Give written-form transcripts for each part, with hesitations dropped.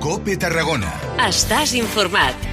COPE Tarragona. Estàs informat.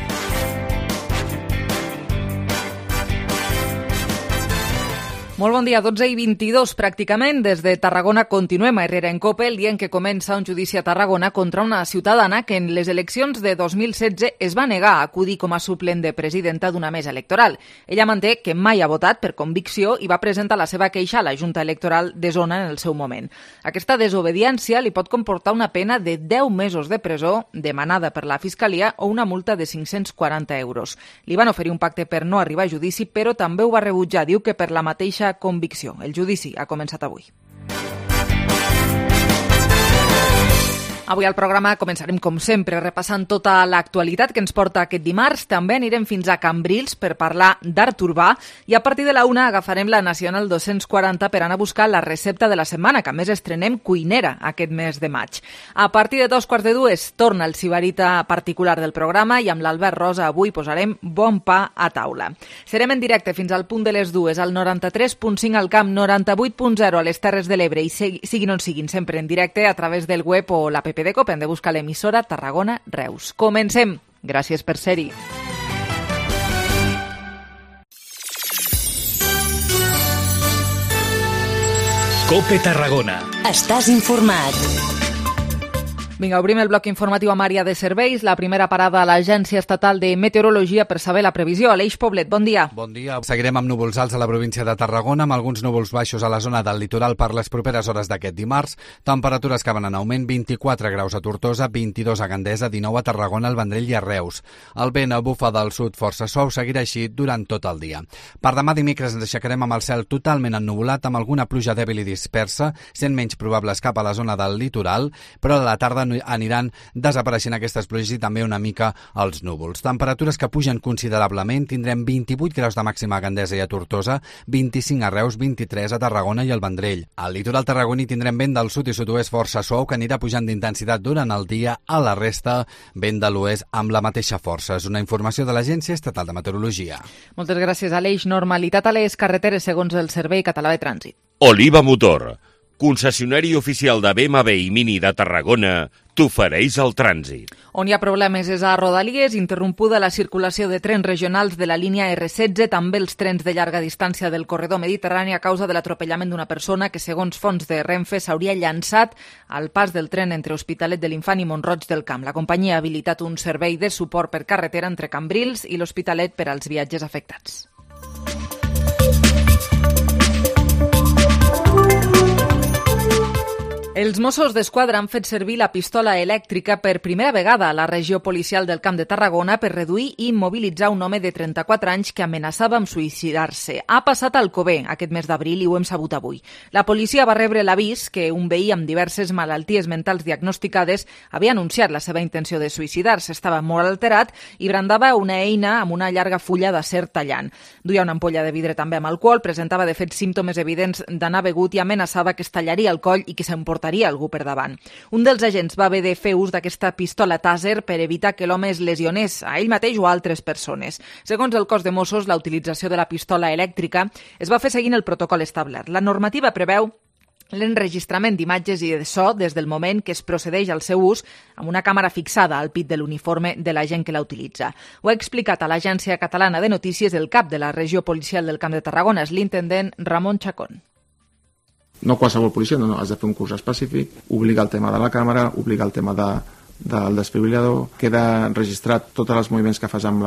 Molt bon dia, 12:22 pràcticament. Des de Tarragona continuem a Herrera en COPE, el dia en què comença un judici a Tarragona contra una ciutadana que en les eleccions de 2016 es va negar a acudir com a suplent de presidenta d'una mesa electoral. Ella manté que mai ha votat per convicció i va presentar la seva queixa a la Junta Electoral de Zona en el seu moment. Aquesta desobediència li pot comportar una pena de 10 mesos de presó demanada per la Fiscalia o una multa de 540 euros. Li van oferir un pacte per no arribar a judici, però també ho va rebutjar. Diu que per la mateixa convicció. El judici ha començat avui. Avui al programa començarem, com sempre, repassant tota l'actualitat que ens porta aquest dimarts. També anirem fins a Cambrils per parlar d'art urbà i a partir de la 1 agafarem la Nacional 240 per anar a buscar la recepta de la setmana, que a més estrenem cuinera aquest mes de maig. A partir de 2:45 torna el sibarita particular del programa i amb l'Albert Rosa avui posarem bon pa a taula. Serem en directe fins al punt de les 2 al 93.5 al Camp, 98.0 a les Terres de l'Ebre i siguin on siguin, sempre en directe a través del web o l'app de COPE. Hem de buscar l'emissora Tarragona Reus. Comencem. Gràcies per ser-hi. COPE Tarragona. Estàs informat. Vinga, obrim el bloc informatiu amb àrea de serveis. La primera parada a l'Agència Estatal de Meteorologia per saber la previsió. Aleix Poblet, bon dia. Bon dia. Seguirem amb núvols alts a la província de Tarragona, amb alguns núvols baixos a la zona del litoral per les properes hores d'aquest dimarts. Temperatures que van en augment, 24 graus a Tortosa, 22 a Gandesa, 19 a Tarragona, al Vendrell i a Reus. El vent bufa del sud força suau, seguirà així durant tot el dia. Per demà dimecres ens aixecarem amb el cel totalment ennuvolat, amb alguna pluja dèbil i dispersa, sent menys probables cap a la zona del litoral, però a la tarda aniran desapareixent aquestes pluges i també una mica els núvols. Temperatures que pugen considerablement, tindrem 28 graus de màxima a Gandesa i a Tortosa, 25 a Reus, 23 a Tarragona i al Vendrell. Al litoral tarragoní tindrem vent del sud i sud-oest força suau que anirà pujant d'intensitat durant el dia. A la resta, vent de l'oest amb la mateixa força. És una informació de l'Agència Estatal de Meteorologia. Moltes gràcies, Aleix. Normalitat a les carreteres segons el Servei Català de Trànsit. Oliva Motor, concessionari oficial de BMW i Mini de Tarragona, t'ofereix el trànsit. On hi ha problemes és a Rodalies, interrompuda la circulació de trens regionals de la línia R16, també els trens de llarga distància del corredor mediterrani a causa de l'atropellament d'una persona que, segons fonts de Renfe, s'hauria llançat al pas del tren entre Hospitalet de l'Infant i Mont-roig del Camp. La companyia ha habilitat un servei de suport per carretera entre Cambrils i l'Hospitalet per als viatges afectats. Els Mossos d'Esquadra han fet servir la pistola elèctrica per primera vegada a la regió policial del Camp de Tarragona per reduir i immobilitzar un home de 34 anys que amenaçava amb suïcidar-se. Ha passat al Alcover aquest mes d'abril i ho hem sabut avui. La policia va rebre l'avís que un veí amb diverses malalties mentals diagnosticades havia anunciat la seva intenció de suïcidar-se. Estava molt alterat i brandava una eina amb una llarga fulla d'acer tallant. Duia una ampolla de vidre també amb alcohol, presentava de fet símptomes evidents d'anar begut i amenaçava que es tallaria el coll i que s'emportaria algú per davant. Un dels agents va haver de fer ús d'aquesta pistola tàser per evitar que l'home es lesionés a ell mateix o a altres persones. Segons el cos de Mossos, la utilització de la pistola elèctrica es va fer seguint el protocol establert. La normativa preveu l'enregistrament d'imatges i de so des del moment que es procedeix al seu ús amb una càmera fixada al pit de l'uniforme de l'agent que la utilitza. Ho ha explicat a l'Agència Catalana de Notícies el cap de la regió policial del Camp de Tarragona, és l'intendent Ramon Chacón. No qualsevol policia, no, has de fer un curs específic, obligar el tema de la càmera, obligar el tema del desfibrilador, queda registrat tots els moviments que fas amb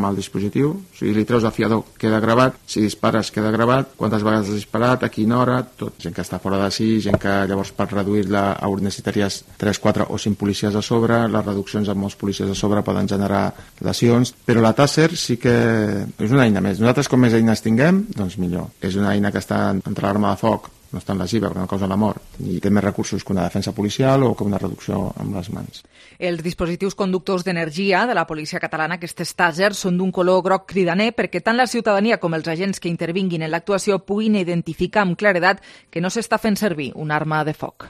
el dispositiu, o sigui, li treus el fiador, queda gravat, si dispares queda gravat, quantes vegades has disparat, a quina hora, tot. Gent que està fora de si, gent que llavors per reduir-la necessitaries 3, 4 o 5 policies a sobre, les reduccions amb molts policies a sobre poden generar lesions, però la tàser sí que és una eina més. Nosaltres com més eines tinguem, doncs millor. És una eina que està entre l'arma de foc, no és tan lesiva perquè no causa la mort i té més recursos que una defensa policial o que una reducció amb les mans. Els dispositius conductors d'energia de la policia catalana, aquestes tàsers, són d'un color groc cridaner perquè tant la ciutadania com els agents que intervinguin en l'actuació puguin identificar amb claredat que no s'està fent servir una arma de foc.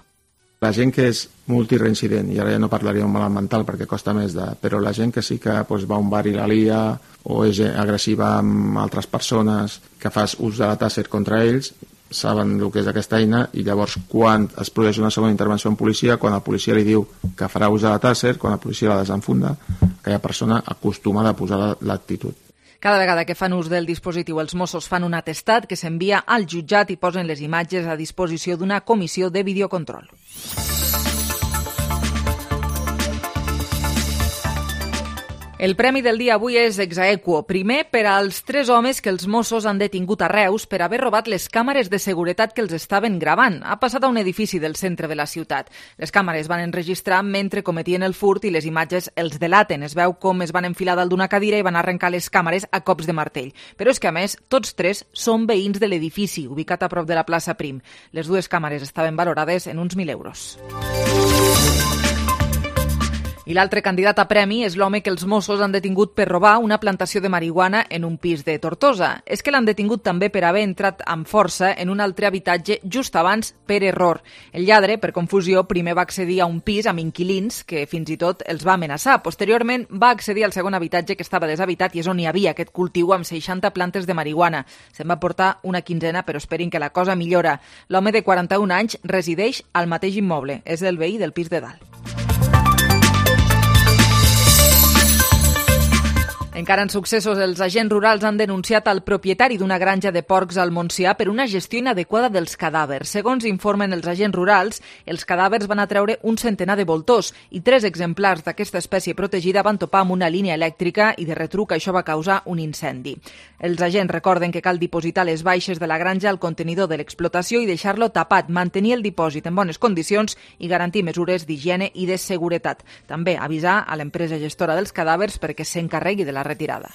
La gent que és multireincident, i ara ja no parlaria d'un malalt mental perquè costa més, però la gent que sí que va a un bar i la lia o és agressiva amb altres persones, que fas ús de la tàser contra ells, saben el que és aquesta eina, i llavors quan es produeix una segona intervenció en policia, quan el policia li diu que farà ús de la tàser, quan el policia la desenfunda, aquella persona acostuma a posar l'actitud. Cada vegada que fan ús del dispositiu, els Mossos fan un atestat que s'envia al jutjat i posen les imatges a disposició d'una comissió de videocontrol. El premi del dia avui és ex aequo. Primer, per als 3 homes que els Mossos han detingut a Reus per haver robat les càmeres de seguretat que els estaven gravant. Ha passat a un edifici del centre de la ciutat. Les càmeres van enregistrar mentre cometien el furt i les imatges els delaten. Es veu com es van enfilar dalt d'una cadira i van arrencar les càmeres a cops de martell. Però és que, a més, tots 3 són veïns de l'edifici, ubicat a prop de la plaça Prim. Les 2 càmeres estaven valorades en uns 1.000 euros. I l'altre candidat a premi és l'home que els Mossos han detingut per robar una plantació de marihuana en un pis de Tortosa. És que l'han detingut també per haver entrat amb força en un altre habitatge just abans per error. El lladre, per confusió, primer va accedir a un pis amb inquilins que fins i tot els va amenaçar. Posteriorment va accedir al segon habitatge que estava deshabitat i és on hi havia aquest cultiu amb 60 plantes de marihuana. Se'n va portar una quinzena, però esperin que la cosa millora. L'home de 41 anys resideix al mateix immoble. És el veí del pis de dalt. Encara en successos, els agents rurals han denunciat al propietari d'una granja de porcs al Montsià per una gestió inadequada dels cadàvers. Segons informen els agents rurals, els cadàvers van atreure un centenar de voltors i 3 exemplars d'aquesta espècie protegida van topar amb una línia elèctrica i de retruc això va causar un incendi. Els agents recorden que cal dipositar les baixes de la granja al contenidor de l'explotació i deixar-lo tapat, mantenir el dipòsit en bones condicions i garantir mesures d'higiene i de seguretat. També avisar a l'empresa gestora dels cadàvers perquè s'encarregui de la retirada.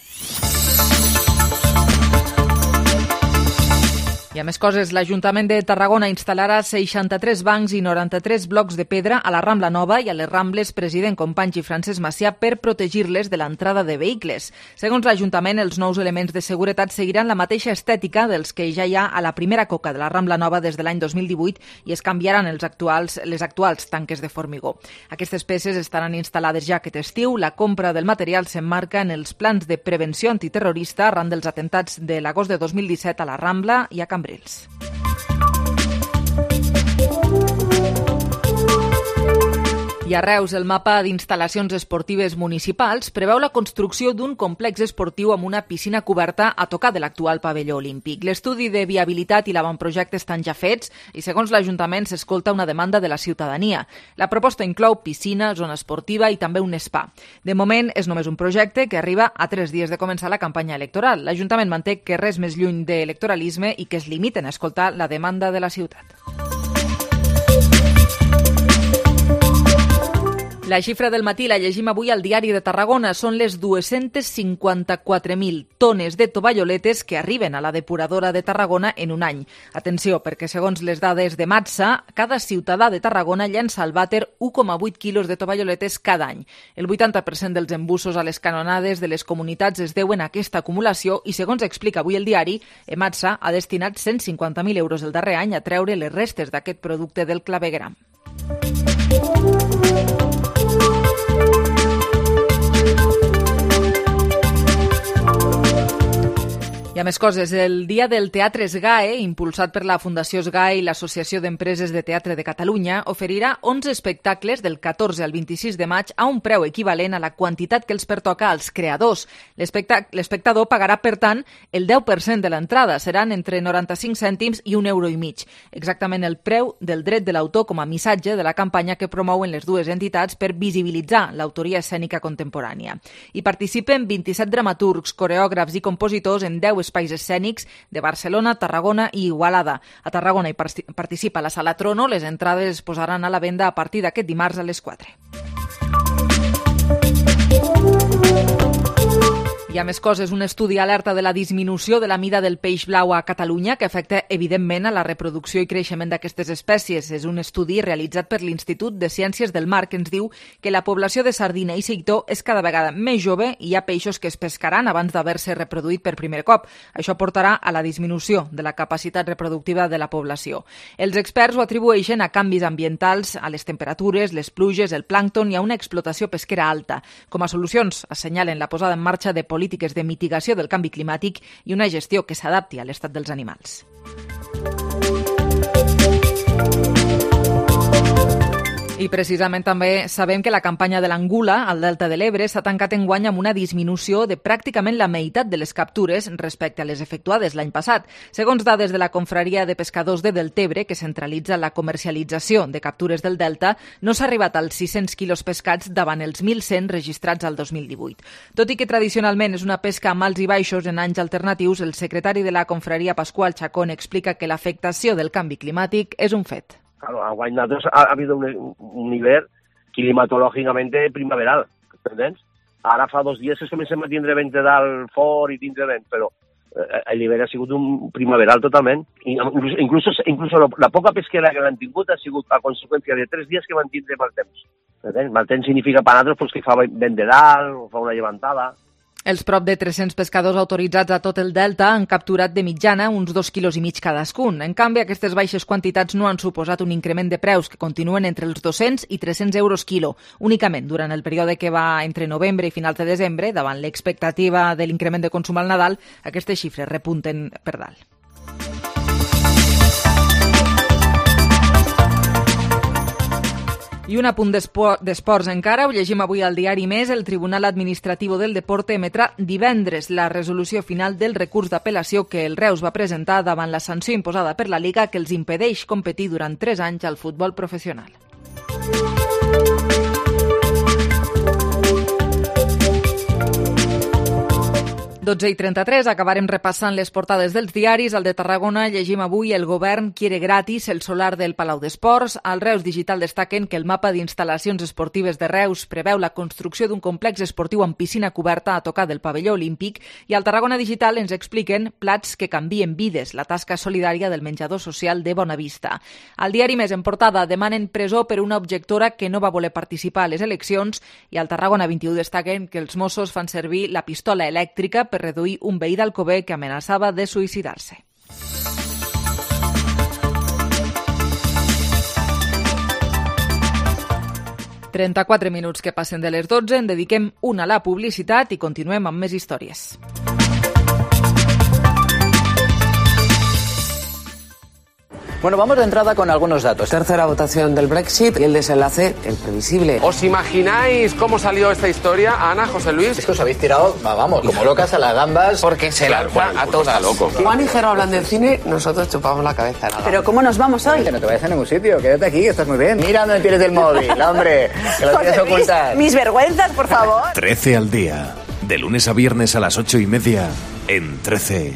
I a més coses, l'Ajuntament de Tarragona instal·larà 63 bancs i 93 blocs de pedra a la Rambla Nova i a les Rambles President Companys i Francesc Macià per protegir-les de l'entrada de vehicles. Segons l'Ajuntament, els nous elements de seguretat seguiran la mateixa estètica dels que ja hi ha a la primera coca de la Rambla Nova des de l'any 2018 i es canviaran les actuals tanques de formigó. Aquestes peces estaran instal·lades ja aquest estiu. La compra del material s'emmarca en els plans de prevenció antiterrorista arran dels atentats de l'agost de 2017 a la Rambla i a Cambrils. I a Reus, el mapa d'instal·lacions esportives municipals preveu la construcció d'un complex esportiu amb una piscina coberta a tocar de l'actual pavelló olímpic. L'estudi de viabilitat i l'avantprojecte estan ja fets i, segons l'Ajuntament, s'escolta una demanda de la ciutadania. La proposta inclou piscina, zona esportiva i també un spa. De moment, és només un projecte que arriba a 3 dies de començar la campanya electoral. L'Ajuntament manté que res més lluny de electoralisme i que es limiten a escoltar la demanda de la ciutat. La xifra del matí la llegim avui al Diari de Tarragona. Són les 254.000 tones de tovalloletes que arriben a la depuradora de Tarragona en un any. Atenció, perquè segons les dades de Matsa, cada ciutadà de Tarragona llença al vàter 1,8 quilos de tovalloletes cada any. El 80% dels embussos a les canonades de les comunitats es deuen a aquesta acumulació i, segons explica avui el diari, Ematsa ha destinat 150.000 euros el darrer any a treure les restes d'aquest producte del clavegueram. I a més coses, el Dia del Teatre SGAE, impulsat per la Fundació SGAE i l'Associació d'Empreses de Teatre de Catalunya, oferirà 11 espectacles del 14 al 26 de maig a un preu equivalent a la quantitat que els pertoca als creadors. L'espectador pagarà, per tant, el 10% de l'entrada. Seran entre 95 cèntims i €1,50. Exactament el preu del dret de l'autor com a missatge de la campanya que promouen les dues entitats per visibilitzar l'autoria escènica contemporània. Hi participen 27 dramaturgs, coreògrafs i compositors en 10 espais escènics de Barcelona, Tarragona i Igualada. A Tarragona hi participa la Sala Trono. Les entrades es posaran a la venda a partir d'aquest dimarts a les 4. Hi ha més coses. Un estudi alerta de la disminució de la mida del peix blau a Catalunya que afecta, evidentment, a la reproducció i creixement d'aquestes espècies. És un estudi realitzat per l'Institut de Ciències del Mar que ens diu que la població de sardina i seitó és cada vegada més jove i hi ha peixos que es pescaran abans d'haver-se reproduït per primer cop. Això portarà a la disminució de la capacitat reproductiva de la població. Els experts ho atribueixen a canvis ambientals, a les temperatures, les pluges, el plàncton i a una explotació pesquera alta. Com a solucions, assenyalen la posada en marxa de polítiques de mitigació del canvi climàtic i una gestió que s'adapti a l'estat dels animals. I precisament també sabem que la campanya de l'angula al Delta de l'Ebre s'ha tancat enguany amb una disminució de pràcticament la meitat de les captures respecte a les efectuades l'any passat. Segons dades de la Confraria de Pescadors de Deltebre, que centralitza la comercialització de captures del Delta, no s'ha arribat als 600 quilos pescats davant els 1.100 registrats al 2018. Tot i que tradicionalment és una pesca amb alts i baixos en anys alternatius, el secretari de la Confraria, Pasqual Chacón, explica que l'afectació del canvi climàtic és un fet. Claro, a Guaynazos ha habido un nivel climatológicamente primaveral, ¿entendés? Ara fa 2 dies que comencem a tindre vent de dalt fort i tindre vent, però el nivell ha sigut un primaveral totalment. Incluso la poca pesquera que han tingut ha sigut a conseqüència de 3 dies que van tindre mal temps. Mal temps significa per nosaltres que fa vent de dalt o fa una llevantada. Els prop de 300 pescadors autoritzats a tot el Delta han capturat de mitjana uns 2,5 quilos cadascun. En canvi, aquestes baixes quantitats no han suposat un increment de preus que continuen entre els 200 i 300 euros quilo. Únicament durant el període que va entre novembre i finals de desembre, davant l'expectativa de l'increment de consum al Nadal, aquestes xifres repunten per dalt. I un apunt d'esports encara, ho llegim avui al diari Més, el Tribunal Administratiu del Deporte emetrà divendres la resolució final del recurs d'apel·lació que el Reus va presentar davant la sanció imposada per la Liga que els impedeix competir durant 3 anys al futbol professional. 12:33, acabarem repassant les portades dels diaris. Al de Tarragona llegim avui: el govern quiere gratis el solar del Palau d'Esports. Al Reus Digital destaquen que el mapa d'instal·lacions esportives de Reus preveu la construcció d'un complex esportiu amb piscina coberta a tocar del pavelló olímpic, i al Tarragona Digital ens expliquen plats que canvien vides, la tasca solidària del menjador social de Bonavista. Al diari Més en portada demanen presó per una objectora que no va voler participar a les eleccions, i al Tarragona 21 destaquen que els Mossos fan servir la pistola elèctrica per reduir un veí d'Alcover que amenaçava de suïcidar-se. «34 minuts que passen de les 12, en dediquem una a la publicitat i continuem amb més històries. Bueno, vamos de entrada con algunos datos. Tercera votación del Brexit y el desenlace, el previsible. ¿Os imagináis cómo salió esta historia, Ana, José Luis? Es que os habéis tirado, vamos, como locas a las gambas. Porque se lanza a todas. Loco. Juan y Jero hablan del cine, nosotros chupamos la cabeza. ¿Pero cómo nos vamos hoy? Que no te vayas a ningún sitio, quédate aquí, que estás muy bien. Mira dónde tienes el móvil, hombre, que lo tienes ocultar. Mis vergüenzas, por favor. 13 al día, de lunes a viernes a las 8:30, en 13.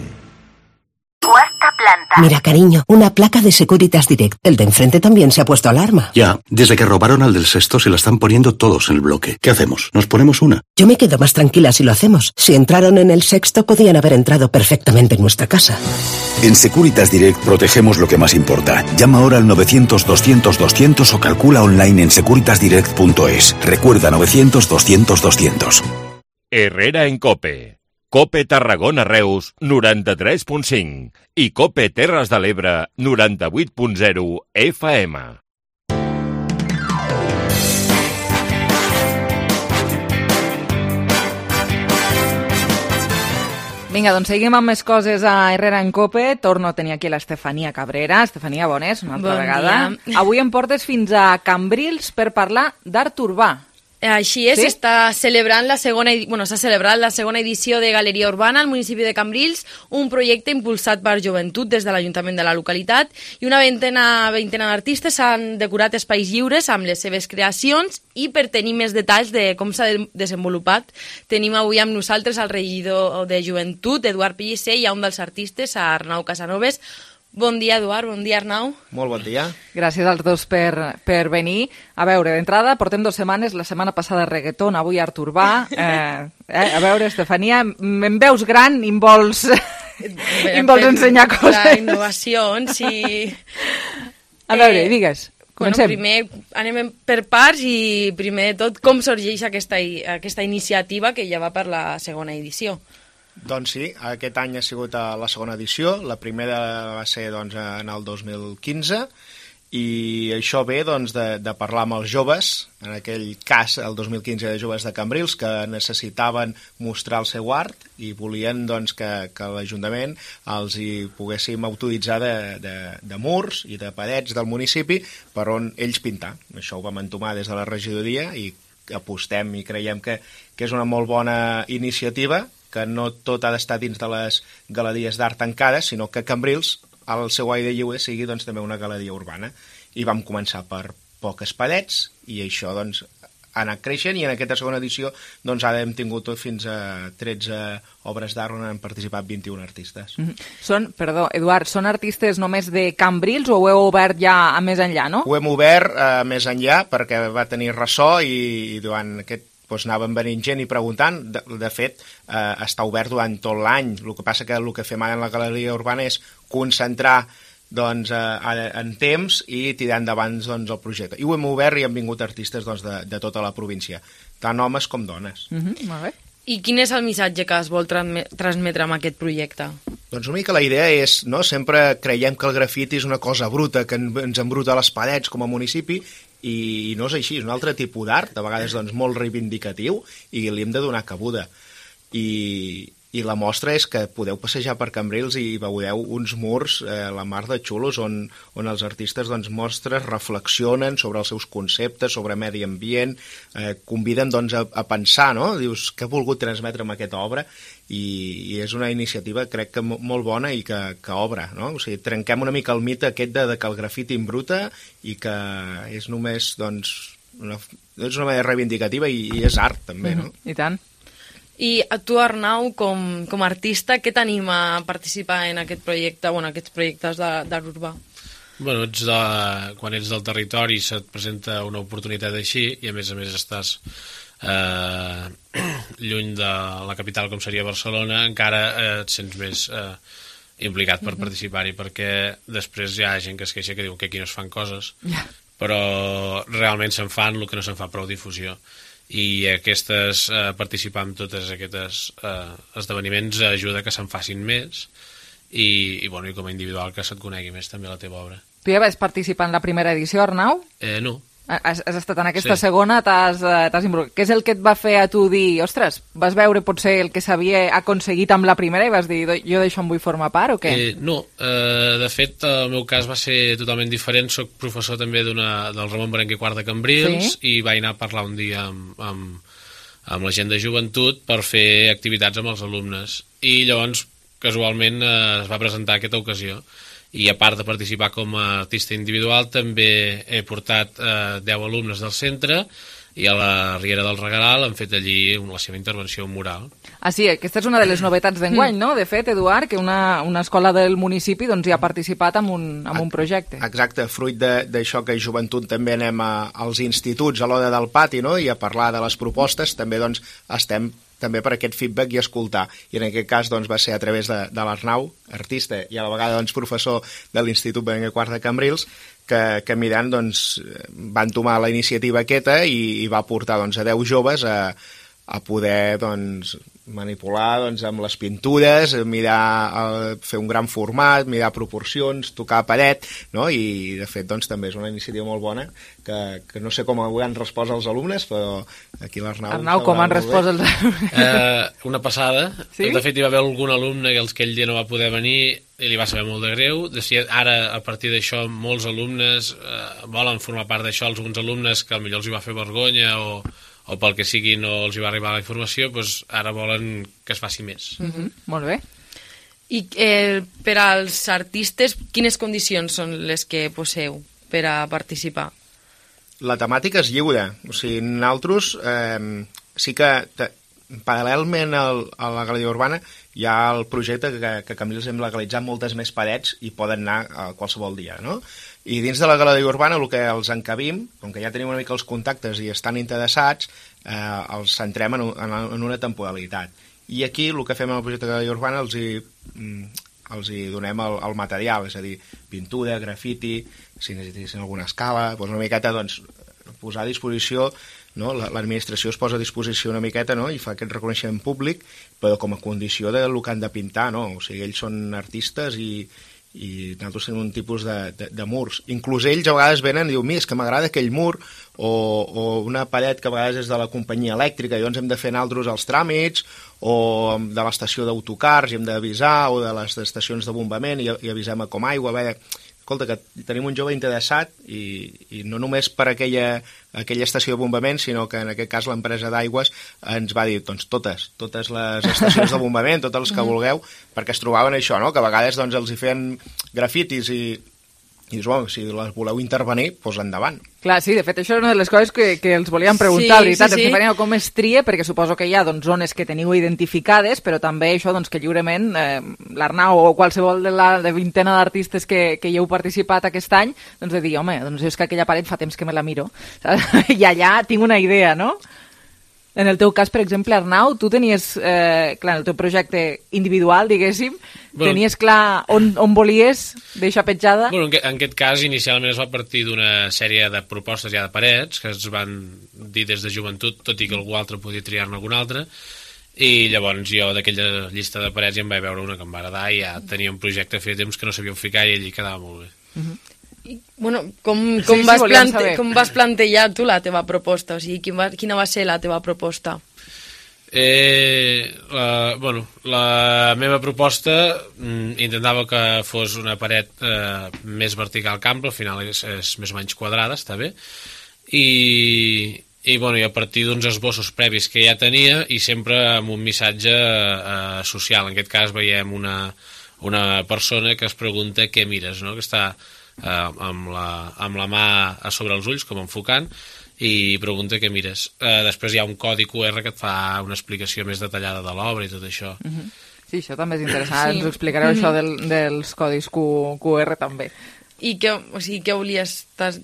Cuarta planta. Mira, cariño, una placa de Securitas Direct. El de enfrente también se ha puesto alarma. Ya, desde que robaron al del sexto se la están poniendo todos en el bloque. ¿Qué hacemos? ¿Nos ponemos una? Yo me quedo más tranquila si lo hacemos. Si entraron en el sexto, podían haber entrado perfectamente en nuestra casa. En Securitas Direct protegemos lo que más importa. Llama ahora al 900-200-200 o calcula online en securitasdirect.es. Recuerda, 900-200-200. Herrera en COPE. COPE Tarragona Reus 93.5 i COPE Terres de l'Ebre 98.0 FM. Vinga, doncs seguim amb més coses a Herrera en COPE. Torno a tenir aquí l'Estefania Cabrera. Estefania, bones, una altra vegada. Dia. Avui em portes fins a Cambrils per parlar d'art urbà. Així és, sí? S'ha celebrat la segona edició de Galeria Urbana al municipi de Cambrils, un projecte impulsat per Joventut des de l'Ajuntament de la localitat, i una vintena d'artistes han decorat espais lliures amb les seves creacions, i per tenir més detalls de com s'ha desenvolupat tenim avui amb nosaltres el regidor de Joventut, Eduard Pellicer, i un dels artistes, Arnau Casanovas. Bon dia, Eduard. Bon dia, Arnau. Molt bon dia. Gràcies als dos per venir. A veure, d'entrada, portem 2 setmanes, la setmana passada reggaeton, avui art urbà. A veure, Estefania, em veus gran i em vols ensenyar coses? La innovació, sí. A veure, digues. Comencem. Primer anem per parts i primer de tot com sorgeix aquesta iniciativa que ja va per la segona edició. Doncs sí, aquest any ha sigut la segona edició, la primera va ser en el 2015, i això ve doncs, de parlar amb els joves, en aquell cas el 2015 de joves de Cambrils que necessitaven mostrar el seu art i volien doncs, que l'Ajuntament els hi poguéssim autoritzar de murs i de parets del municipi per on ells pintar. Això ho vam entomar des de la regidoria i apostem i creiem que és una molt bona iniciativa, que no tot ha d'estar dins de les galeries d'art tancades, sinó que Cambrils el seu aire lliure sigui doncs, també una galeria urbana. I vam començar per poques parets i això doncs, ha anat creixent i en aquesta segona edició doncs, ara hem tingut fins a 13 obres d'art on han participat 21 artistes. Eduard, són artistes només de Cambrils o ho heu obert ja a més enllà, no? Ho hem obert més enllà perquè va tenir ressò i durant aquest doncs anaven venint gent i preguntant. De fet, està obert durant tot l'any. El que passa que el que fem ara en la galeria urbana és concentrar doncs, en temps i tirar endavant doncs, el projecte. I ho hem obert i han vingut artistes doncs, de tota la província, tant homes com dones. Molt bé. I quin és el missatge que es vol transmetre amb aquest projecte? Doncs una mica la idea és, no? Sempre creiem que el grafiti és una cosa bruta, que ens embruta les parets com a municipi, i no és així, és un altre tipus d'art, de vegades doncs, molt reivindicatiu, i li hem de donar cabuda. I la mostra és que podeu passejar per Cambrils i veureu uns murs, la mar de xulos, on els artistes doncs, reflexionen sobre els seus conceptes, sobre medi ambient, conviden doncs, a pensar, no? Dius, què he volgut transmetre amb aquesta obra? I és una iniciativa, crec que molt bona i que obre, no? O sigui, trenquem una mica el mite aquest de que el grafiti embruta i que és només, doncs, és una manera reivindicativa i és art, també, no? I tant. I a tu, Arnau, com a artista, què t'anima a participar en aquest projecte, aquests projectes d'art urbà? Bueno, quan ets del territori se't presenta una oportunitat així i a més estàs lluny de la capital com seria Barcelona, encara et sents més implicat per participar-hi, perquè després hi ha gent que es queixa que diu que aquí no es fan coses, però realment se'n fan el que no se'n fa prou difusió, i participar en tots aquests esdeveniments ajuda que se'n facin més i com a individual que se't conegui més també la teva obra. Tu ja vas participar en la primera edició, Arnau? No. Has estat en aquesta segona, t'has involucrat. Què és el que et va fer a tu dir, ostres, vas veure potser el que s'havia aconseguit amb la primera i vas dir, jo d'això en vull formar part o què? No, de fet el meu cas va ser totalment diferent. Soc professor també del Ramon Berenguer IV de Cambrils i vaig anar a parlar un dia amb la gent de joventut per fer activitats amb els alumnes i llavors casualment es va presentar aquesta ocasió. I a part de participar com a artista individual també he portat 10 alumnes del centre i a la Riera del Regaral han fet allí la seva intervenció mural. Sí, aquesta és una de les novetats d'enguany, no? De fet, Eduard, que una escola del municipi doncs, hi ha participat en un projecte. Exacte, fruit d'això que a joventut també anem als instituts a l'hora del pati, no? I a parlar de les propostes també doncs, estem també per aquest feedback i escoltar. I en aquest cas doncs, va ser a través de l'Arnau, artista i a la vegada doncs, professor de l'Institut Berenguer IV de Cambrils, que mirant doncs, van tomar la iniciativa aquesta i va portar doncs, a 10 joves a poder doncs, manipular doncs, amb les pintures, fer un gran format, mirar proporcions, tocar paret, no? I de fet doncs, també és una iniciativa molt bona que no sé com ho han respost els alumnes, però aquí l'Arnau... Arnau, com han respost els alumnes? Una passada. Sí? De fet, hi va haver algun alumne que aquell dia no va poder venir i li va saber molt de greu. Ara, a partir d'això, molts alumnes volen formar part d'això, alguns alumnes que potser els hi va fer vergonya o pel que sigui no els hi va arribar la informació, doncs ara volen que es faci més. Molt bé. I per als artistes, quines condicions són les que poseu per a participar? La temàtica és lliure. O sigui, nosaltres sí que paral·lelment a la galeria urbana hi ha el projecte que Cambrils hem legalitzat moltes més parets i poden anar a qualsevol dia, no? I dins de la galeria urbana el que els encabim, com que ja tenim una mica els contactes i estan interessats, els centrem en una temporalitat. I aquí el que fem en el projecte de galeria urbana els hi donem el material, és a dir, pintura, grafiti, si necessitin alguna escala, doncs una miqueta doncs, posar a disposició, no? L'administració es posa a disposició una miqueta, no? I fa aquest reconeixement públic, però com a condició del que han de pintar, no? O sigui, ells són artistes i i nosaltres tenim un tipus de murs. Inclús ells a vegades venen i diuen, és que m'agrada aquell mur, o una paret que a vegades és de la companyia elèctrica, llavors hem de fer nosaltres els tràmits, o de l'estació d'autocars i hem d'avisar, o de les estacions de bombament i avisem a Comaigua. Escolta, que tenim un jove interessat i no només per aquella estació de bombament, sinó que en aquest cas l'empresa d'aigües ens va dir, doncs totes les estacions de bombament, totes les que vulgueu, perquè es trobaven això, no? Que a vegades doncs, els hi feien grafitis i dius, bueno, si les voleu intervenir, doncs endavant. Clar, sí, de fet, això és una de les coses que els volíem preguntar, la veritat, Estefanía, com es tria, perquè suposo que hi ha zones que teniu identificades, però també això que lliurement l'Arnau o qualsevol de la vintena d'artistes que hi heu participat aquest any, doncs de dir, home, és que aquella paret fa temps que me la miro, i allà tinc una idea, no? En el teu cas, per exemple, Arnau, tu tenies, clar, en el teu projecte individual, diguéssim, tenies clar on volies deixar petjada? Bueno, en aquest cas, inicialment es va partir d'una sèrie de propostes ja de parets, que es van dir des de joventut, tot i que algú altre podia triar-ne algun altre, i llavors jo d'aquella llista de parets ja em vaig veure una que em va agradar i ja tenia un projecte feia temps que no sabia on ficar i allí quedava molt bé. Bueno, com vas plantejar tu la teva proposta? O sigui, quina va ser la teva proposta? La meva proposta intentava que fos una paret més vertical que ampla, al final és més o menys quadrada, està bé, i a partir d'uns esbossos previs que ja tenia i sempre amb un missatge social. En aquest cas veiem una persona que es pregunta què mires, no? Que està amb la mà a sobre els ulls, com enfocant, i pregunta què mires. Després hi ha un codi QR que et fa una explicació més detallada de l'obra i tot això. Sí, això també és interessant. Ens ho explicareu, això dels codis QR també. I què volies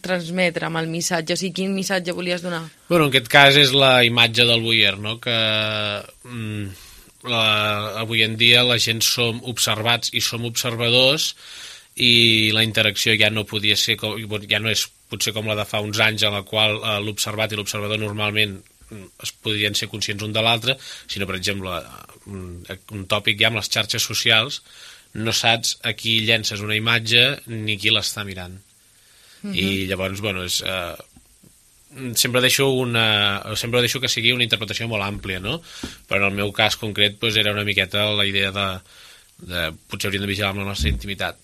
transmetre amb el missatge? O sigui, quin missatge volies donar? Bueno, en aquest cas és la imatge del Boyer, no? Que avui en dia la gent som observats i som observadors, i la interacció ja no podia ser ja no és potser com la de fa uns anys en la qual l'observat i l'observador normalment es podien ser conscients un de l'altre, sinó per exemple un tòpic ja amb les xarxes socials, no saps a qui llences una imatge ni qui l'està mirant. I llavors, bueno, sempre deixo que sigui una interpretació molt àmplia, no? Però en el meu cas concret era una miqueta la idea de potser hauríem de vigilar amb la nostra intimitat.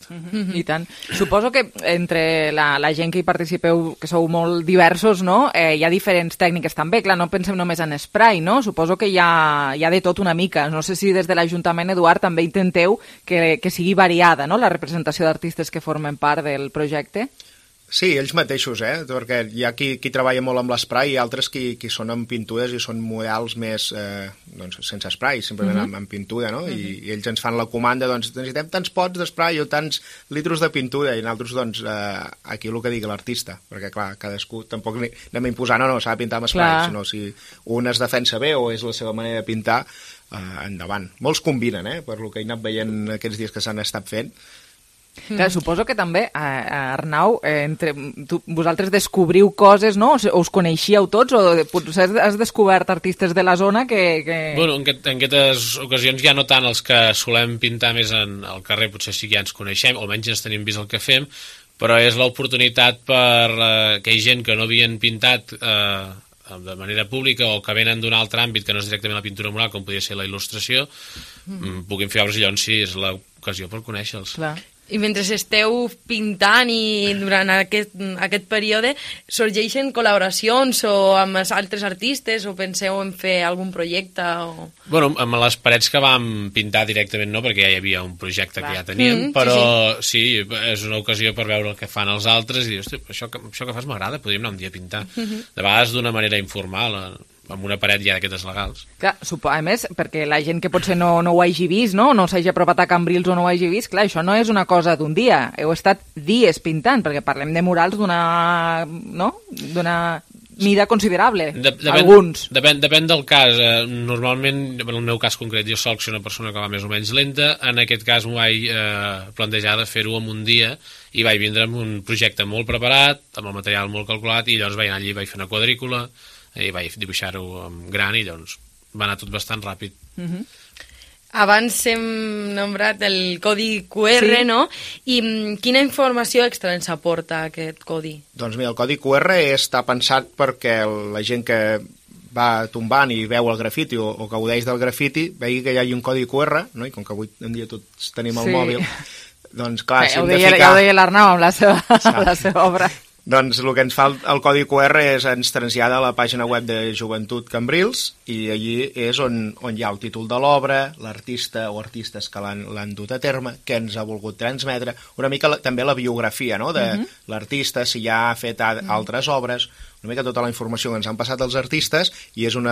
I tant. Suposo que entre la gent que hi participeu, que sou molt diversos, no? Hi ha diferents tècniques també. Clar, no pensem només en spray, no? Suposo que hi ha de tot una mica. No sé si des de l'Ajuntament, Eduard, també intenteu que sigui variada, no?, la representació d'artistes que formen part del projecte. Sí, ells mateixos, perquè hi ha qui treballa molt amb l'esprai i altres qui són amb pintures i són models més sense esprai, simplement amb pintura, no? I ells ens fan la comanda, doncs necessitem tants pots d'esprai o tants litros de pintura, i nosaltres, doncs, aquí el que digui l'artista, perquè clar, cadascú tampoc anem a imposar, no, s'ha de pintar amb esprai, sinó si un es defensa bé o és la seva manera de pintar, endavant. Molts combinen, per lo que he anat veient aquests dies que s'han estat fent. Clar, suposo que també, Arnau, vosaltres descobriu coses, no? O us coneixíeu tots, o potser has descobert artistes de la zona que... Bueno, en aquestes ocasions ja no tant els que solem pintar més al carrer, potser sí que ja ens coneixem, o almenys ens tenim vist el que fem, però és l'oportunitat per que hi gent que no havien pintat de manera pública o que venen d'un altre àmbit que no és directament la pintura mural, com podria ser la il·lustració, puguin fer obres, i llavors sí, és l'ocasió per conèixer-los. Clar. I mentre esteu pintant i durant aquest període sorgeixen col·laboracions o amb altres artistes, o penseu en fer algun projecte? Bueno, amb les parets que vam pintar directament no, perquè ja hi havia un projecte que ja teníem, però sí, és una ocasió per veure el que fan els altres i dir, hosti, això que fas m'agrada, podríem anar un dia a pintar. De vegades d'una manera informal, amb una paret ja d'aquestes legals. Clar, a més, perquè la gent que potser no ho hagi vist, no s'hagi apropat a Cambrils o no ho hagi vist, clar, això no és una cosa d'un dia, heu estat dies pintant, perquè parlem de murals d'una mida considerable, alguns. Depèn del cas. Normalment, en el meu cas concret, jo soc una persona que va més o menys lenta, en aquest cas m'ho vaig plantejar de fer-ho en un dia i vaig vindre amb un projecte molt preparat, amb el material molt calculat, i llavors vaig anar allí, vaig fer una quadrícula, i vaig dibuixar-ho en gran i llavors va anar tot bastant ràpid. Abans hem nombrat el codi QR, no? I quina informació extra ens aporta aquest codi? Doncs mira, el codi QR està pensat perquè la gent que va tombant i veu el grafiti o gaudeix del grafiti, vegi que hi ha un codi QR, no? I com que avui en dia tots tenim el mòbil, doncs clar, si hem de ficar... Ja ho deia l'Arnau amb la seva obra. Doncs el que ens fa el codi QR ens trasllada a la pàgina web de Joventut Cambrils i allí és on hi ha el títol de l'obra, l'artista o artistes que l'han dut a terme, què ens ha volgut transmetre, una mica també la biografia, no?, de l'artista, si ja ha fet altres obres, una mica tota la informació que ens han passat els artistes, i és un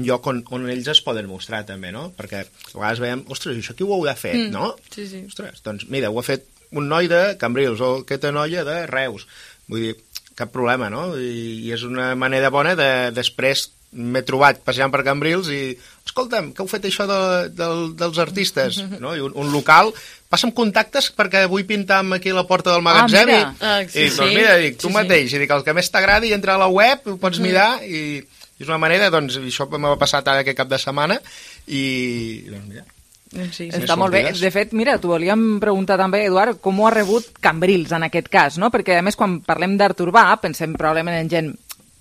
lloc on ells es poden mostrar també, no? Perquè a vegades veiem, ostres, això qui ho heu de fer, no? Sí, sí. Ostres, doncs mira, ho ha fet un noi de Cambrils o aquesta noia de Reus. Vull dir, cap problema, no? I és una manera bona de després m'he trobat passejant per Cambrils i escolta'm, que heu fet això dels artistes, no? I un local passa amb contactes perquè vull pintar aquí a la porta del magatzem i doncs mira, tu mateix, i dic, el que més t'agradi entra a la web, ho pots mirar i és una manera, doncs, això m'ha passat ara aquest cap de setmana i doncs mira. Sí, està molt bé. De fet, mira, t'ho volíem preguntar també, Eduard, com ho ha rebut Cambrils en aquest cas, no? Perquè, a més, quan parlem d'art urbà, pensem probablement en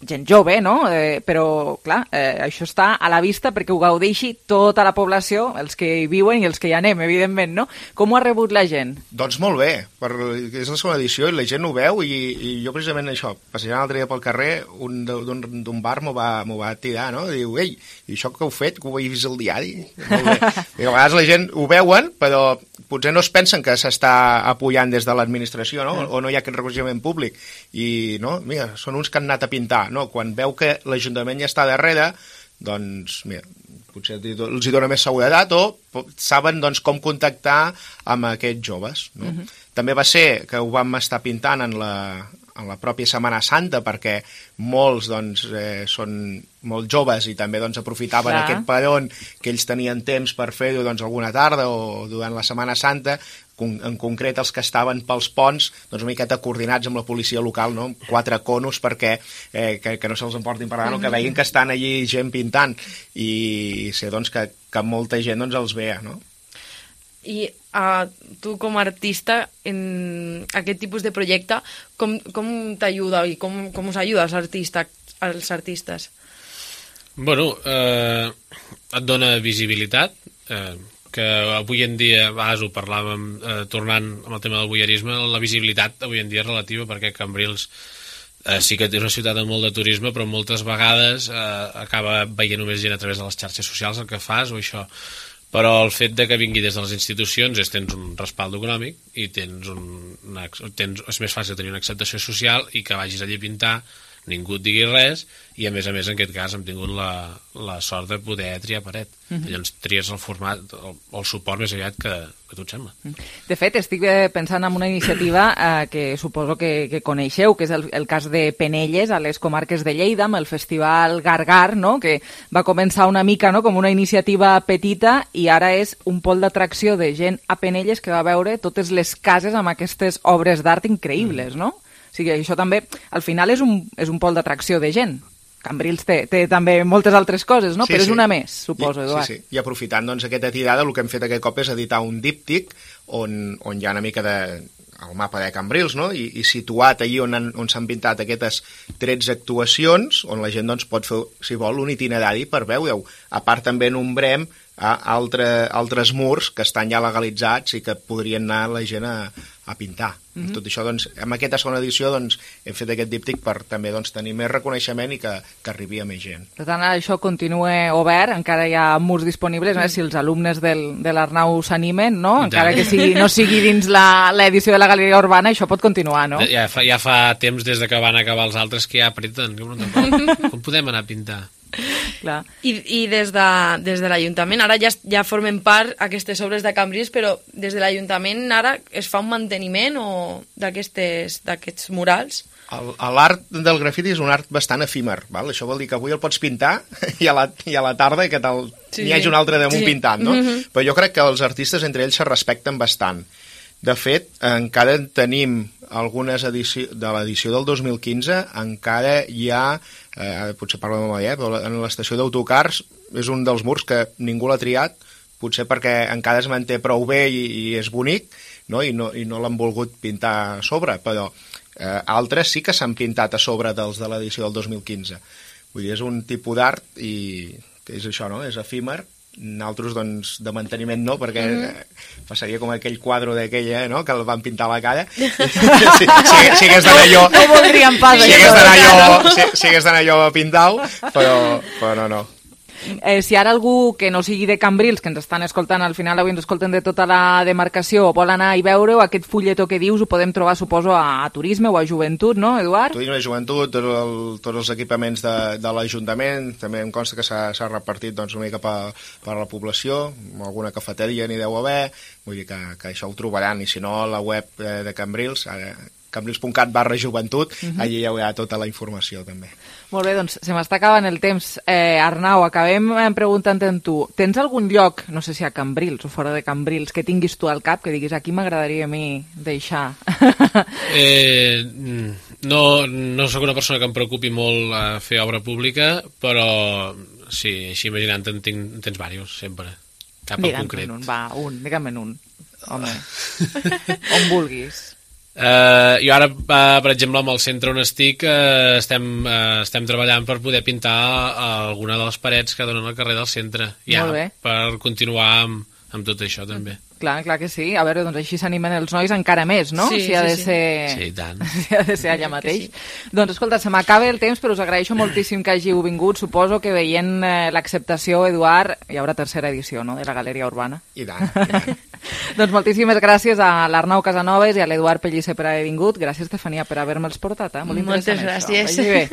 gent jove, no? Però, clar, això està a la vista perquè ho gaudeixi tota la població, els que hi viuen i els que hi anem, evidentment, no? Com ho ha rebut la gent? Doncs molt bé, és la segona edició i la gent ho veu i jo precisament això, passejant l'altre dia pel carrer, un d'un bar m'ho va tirar, no? Diu, ei, i això que heu fet, que ho he vist al diari? Molt bé. I a vegades la gent ho veuen, però potser no es pensen que s'està apoyant des de l'administració, no? O no hi ha aquest reconeixement públic. I, no, mira, són uns que han anat a pintar, no? Quan veu que l'Ajuntament ja està darrere, doncs, mira, potser els hi dona més seguretat o saben doncs, com contactar amb aquests joves. No? També va ser que ho vam estar pintant en la pròpia Setmana Santa perquè molts doncs, són molt joves i també doncs, aprofitaven aquest peron que ells tenien temps per fer-ho doncs, alguna tarda o durant la Setmana Santa, en concret els que estaven pels ponts doncs una miqueta coordinats amb la policia local, no? 4 conos perquè que no se'ls emportin per davant, que veguin que estan allí gent pintant i sé doncs, que molta gent doncs, els vea, no? I tu com a artista en aquest tipus de projecte com t'ajuda i com us ajuda als artistes? Bueno, et dona visibilitat, que avui en dia, a vegades ho parlàvem tornant amb el tema del voyeurisme, la visibilitat avui en dia és relativa perquè Cambrils sí que és una ciutat amb molt de turisme, però moltes vegades acaba veient només gent a través de les xarxes socials el que fas o això. Però el fet de que vingui des de les institucions és tens un respald econòmic i és més fàcil tenir una acceptació social i que vagis allí a pintar, ningú et digui res i a més en aquest cas hem tingut la sort de poder triar paret. Llavors tries el format o el suport més aviat que tu et sembla. De fet, estic pensant en una iniciativa que suposo que coneixeu, que és el cas de Penelles, a les comarques de Lleida, amb el Festival Gargar, no? Que va començar una mica com una iniciativa petita i ara és un pol d'atracció de gent a Penelles que va veure totes les cases amb aquestes obres d'art increïbles, no? O sigui, això també, al final, és un pol d'atracció de gent. Cambrils té també moltes altres coses, no? Però és una més, suposo, Eduard. Sí. I aprofitant doncs, aquesta tirada, el que hem fet aquest cop és editar un díptic on hi ha una mica el mapa de Cambrils, no? I situat allí on s'han pintat aquestes 13 actuacions, on la gent doncs, pot fer, si vol, un itinerari per veure-ho. A part també nombrem altres murs que estan ja legalitzats i que podrien anar la gent a pintar. Tot això, doncs, amb aquesta segona edició doncs, hem fet aquest díptic per també doncs, tenir més reconeixement i que arribi a més gent. Per tant, això continua obert, encara hi ha murs disponibles, si els alumnes de l'Arnau s'animen, no? Encara que no sigui dins l'edició de la Galeria Urbana, això pot continuar, no? Ja fa temps des que van acabar els altres que ja apreten. Com podem anar a pintar? Clar. I des de l'Ajuntament ara ja formen part aquestes obres de Cambrils, però des de l'Ajuntament ara es fa un manteniment d'aquests murals? L'art del grafiti és un art bastant efímer, val? Això vol dir que avui el pots pintar i a la tarda que n'hi hagi un altre damunt pintant, no? Però jo crec que els artistes entre ells se respecten bastant. De fet, encara tenim algunes edicions de l'edició del 2015, encara hi ha, potser parlo de memòria, però en l'estació d'autocars és un dels murs que ningú l'ha triat potser perquè encara es manté prou bé i és bonic, no? I no l'han volgut pintar a sobre, però altres sí que s'han pintat a sobre dels de l'edició del 2015. Vull dir, és un tipus d'art i que és això, no? És efímer. Nosaltres, doncs, de manteniment no, perquè passaria com aquell quadre d'aquella, no?, que el van pintar a la cara. Si hagués d'anar jo... No voldríem pas si hagués d'anar jo a pintar-ho, però no. Si ara algú que no sigui de Cambrils, que ens estan escoltant, al final avui ens escolten de tota la demarcació, vol anar i veure-ho, aquest fulletó que dius ho podem trobar, suposo, a Turisme o a Joventut, no, Eduard? Turisme i Joventut, tots els equipaments de l'Ajuntament, també em consta que s'ha repartit doncs, una mica per la població, alguna cafeteria n'hi deu haver, vull dir que això ho trobaran, i si no, la web de Cambrils, cambrils.cat/joventut, allí hi haurà tota la informació també. Molt bé, doncs se m'està acabant el temps. Arnau, acabem preguntant en tu. Tens algun lloc, no sé si a Cambrils o fora de Cambrils, que tinguis tu al cap, que diguis aquí m'agradaria a mi deixar? No sóc una persona que em preocupi molt a fer obra pública, però sí, així imaginant-te'n tens diversos, sempre. Cap en concret. Digue'm un. Home, on vulguis. Jo ara, per exemple, amb el centre on estic estem treballant per poder pintar alguna de les parets que donen al carrer del centre, ja, per continuar amb tot això també. Clar que sí. A veure, doncs així s'animen els nois encara més, no? Sí, si ha de ser... Sí, tant. Si ha de ser allà mateix. Sí. Doncs escolta, se m'acaba el temps, però us agraeixo moltíssim que hàgiu vingut. Suposo que veient l'acceptació, Eduard, hi haurà tercera edició, no?, de la Galeria Urbana. I tant. Doncs moltíssimes gràcies a l'Arnau Casanovas i a l'Eduard Pellicer per haver vingut. Gràcies, Estefania, per haver-me'ls portat. Molt interessant. Moltes gràcies. Vagi bé.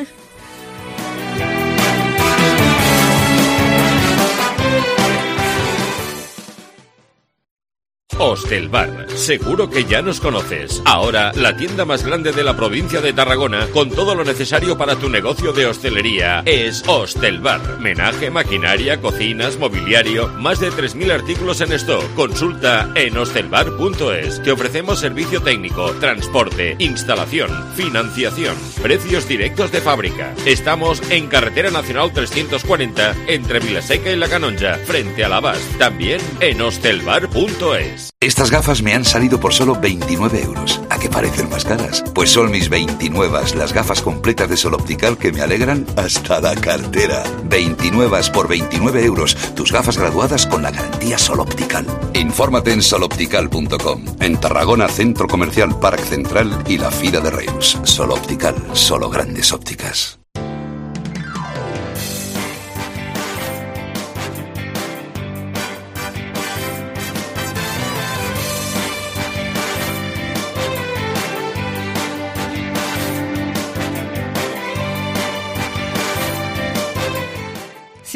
Hostelbar, seguro que ya nos conoces. Ahora, la tienda más grande de la provincia de Tarragona, con todo lo necesario para tu negocio de hostelería, es Hostelbar. Menaje, maquinaria, cocinas, mobiliario, más de 3.000 artículos en stock. Consulta en hostelbar.es. Te ofrecemos servicio técnico, transporte, instalación, financiación, precios directos de fábrica. Estamos en Carretera Nacional 340, entre Vilaseca y La Canonja, frente a la Bas. También en hostelbar.es. Estas gafas me han salido por solo 29 euros. ¿A qué parecen más caras? Pues son mis 29, las gafas completas de Sol Optical que me alegran hasta la cartera. 29 por 29 euros. Tus gafas graduadas con la garantía Sol Optical. Infórmate en soloptical.com. En Tarragona, Centro Comercial Parc Central y la Fira de Reus. Sol Optical, solo grandes ópticas.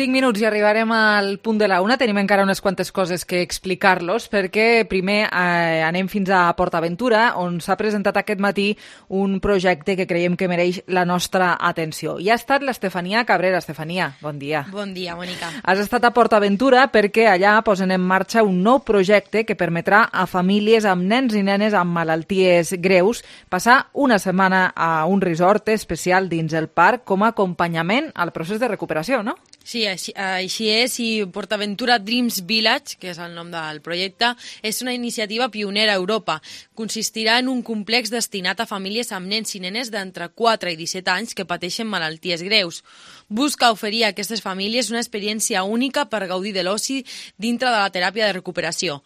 Minuts i arribarem al punt de la una. Tenim encara unes quantes coses que explicar-los, perquè primer anem fins a PortAventura, on s'ha presentat aquest matí un projecte que creiem que mereix la nostra atenció. I ha estat l'Estefania Cabrera. Estefania, bon dia. Bon dia, Mònica. Has estat a PortAventura perquè allà posen en marxa un nou projecte que permetrà a famílies amb nens i nenes amb malalties greus passar una setmana a un resort especial dins el parc com a acompanyament al procés de recuperació, no? Sí, així és, i PortAventura Dreams Village, que és el nom del projecte, és una iniciativa pionera a Europa. Consistirà en un complex destinat a famílies amb nens i nenes d'entre 4 i 17 anys que pateixen malalties greus. Busca oferir a aquestes famílies una experiència única per gaudir de l'oci dintre de la teràpia de recuperació.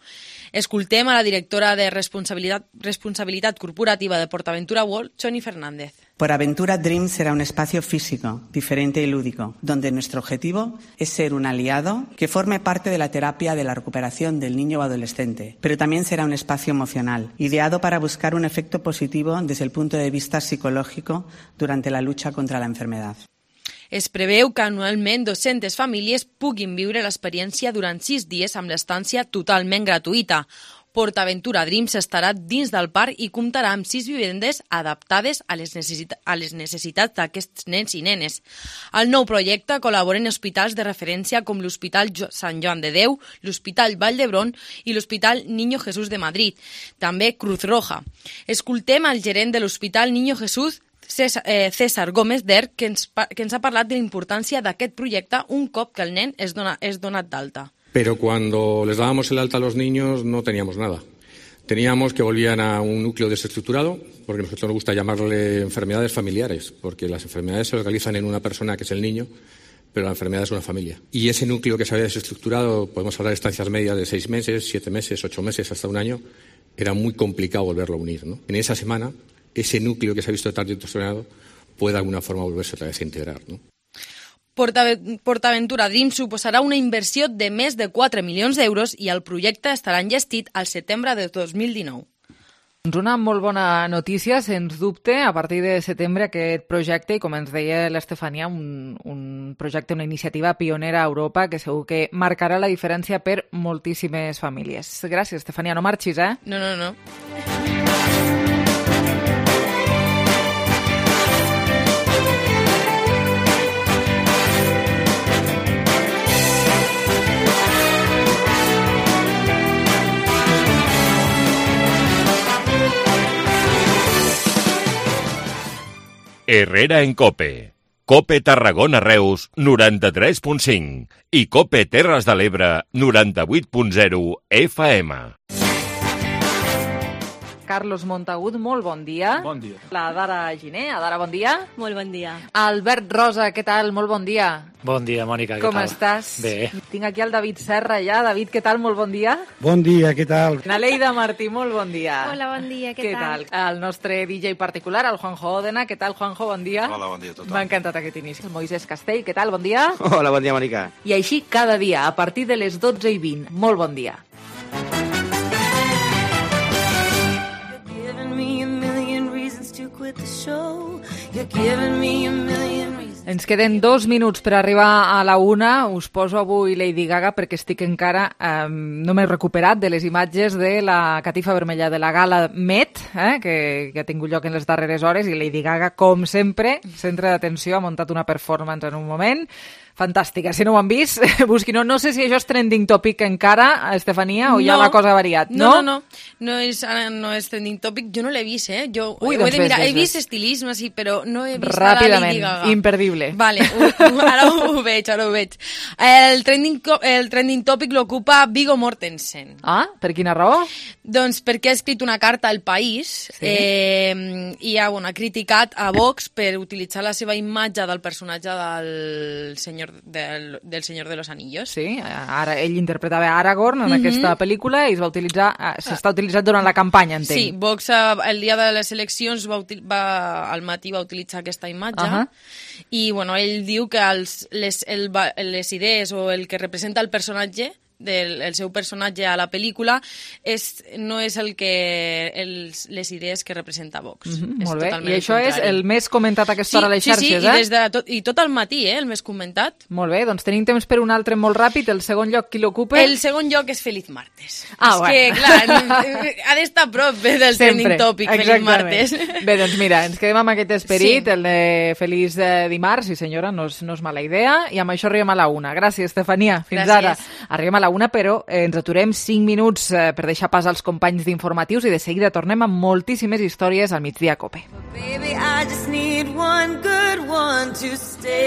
Escoltem a la directora de Responsabilitat Corporativa de PortAventura World, Choni Fernández. PortAventura Dreams será un espacio físico, diferente y lúdico, donde nuestro objetivo es ser un aliado que forme parte de la terapia de la recuperación del niño o adolescente, pero también será un espacio emocional, ideado para buscar un efecto positivo desde el punto de vista psicológico durante la lucha contra la enfermedad. Es preveu que anualment 200 famílies puguin viure l'experiència durant 6 dies amb l'estància totalment gratuïta. PortAventura Dreams estarà dins del parc i comptarà amb 6 vivendes adaptades a les necessitats d'aquests nens i nenes. Al nou projecte col·laboren hospitals de referència com l'Hospital Sant Joan de Déu, l'Hospital Vall d'Hebron i l'Hospital Niño Jesús de Madrid, també Cruz Roja. Escoltem al gerent de l'Hospital Niño Jesús, César Gómez d'Erc, que ens ha parlat de la importància d'aquest projecte un cop que el nen és donat d'alta. pero cuando les dábamos el alta a los niños no teníamos nada. Teníamos que volvían a un núcleo desestructurado, porque a nosotros nos gusta llamarle enfermedades familiares, porque las enfermedades se localizan en una persona que es el niño, pero la enfermedad es una familia. Y ese núcleo que se había desestructurado, podemos hablar de estancias medias de 6 meses, 7 meses, 8 meses, hasta un año, era muy complicado volverlo a unir, ¿no? En esa semana, ese núcleo que se ha visto tan distorsionado puede de alguna forma volverse otra vez a integrar, ¿no? PortAventura Dream suposarà una inversió de més de 4 milions d'euros i el projecte estarà enllestit al setembre de 2019. Una molt bona notícia, sens dubte, a partir de setembre aquest projecte, i com ens deia l'Estefania, un projecte, una iniciativa pionera a Europa que segur que marcarà la diferència per moltíssimes famílies. Gràcies, Estefania, no marxis, eh? No. Herrera en Cope. Cope Tarragona Reus 93.5 i Cope Terres de l'Ebre 98.0 FM. Carlos Montagut, molt bon dia. Bon dia. La Dara Giner. Adara, bon dia. Molt bon dia. Albert Rosa, què tal? Molt bon dia. Bon dia, Mònica, què tal? Com estàs? Bé. Tinc aquí el David Serra ja. David, què tal? Molt bon dia. Bon dia, què tal? Naleida Martí, molt bon dia. Hola, bon dia, què tal? El nostre DJ particular, el Juanjo Òdena. Què tal, Juanjo? Bon dia. Hola, bon dia a tothom. M'ha encantat aquest inici. El Moisés Castell, què tal? Bon dia. Hola, bon dia, Mònica. I així cada dia, a partir de les 12:20. Molt bon dia. Ens queden 2 minuts per arribar a la 1. Us poso avui Lady Gaga perquè estic encara... no m'he recuperat de les imatges de la catifa vermella de la gala Met, que ha tingut lloc en les darreres hores, i Lady Gaga, com sempre, centre d'atenció, ha muntat una performance en un moment fantàstica. Si no ho han vist, busquin-ho. No sé si això és trending topic encara, Estefania, o ja la cosa ha variat, no? No és trending topic. Jo no l'he vist, eh? Ui, ho he de mirar. He vist estilisme, sí, però no he vist ràpidament, la Lady Gaga. imperdible. Vale, ara ho veig. El trending topic l'ocupa Viggo Mortensen. Ah, per quina raó? Doncs perquè ha escrit una carta al País i ha criticat a Vox per utilitzar la seva imatge del personatge del senyor de los Anillos. Sí, ara ell interpretava Aragorn en aquesta pel·lícula i es va utilitzar, s'està utilitzant durant la campanya, entenc. Sí, Vox el dia de les eleccions al matí va utilitzar aquesta imatge i ell diu que les idees o el que representa el personatge el seu personatge a la pel·lícula no és les idees que representa Vox. Molt bé, i això és el més comentat a aquesta hora a les xarxes, i tot el matí, el més comentat. Molt bé, doncs tenim temps per un altre molt ràpid. El segon lloc, qui l'ocupa? El segon lloc és Feliz Martes. Que, clar, ha d'estar a prop del trending topic, Feliz Martes. Bé, doncs mira, ens quedem amb aquest esperit, el de Feliç Dimarts, sí senyora, no és mala idea, i amb això arribem a la 1. Gràcies, Estefania. Fins ara. Arribem a la 1, però ens aturem 5 minuts per deixar pas als companys d'informatius i de seguida tornem amb moltíssimes històries al Migdia Cope. Baby, I just need one good one to stay.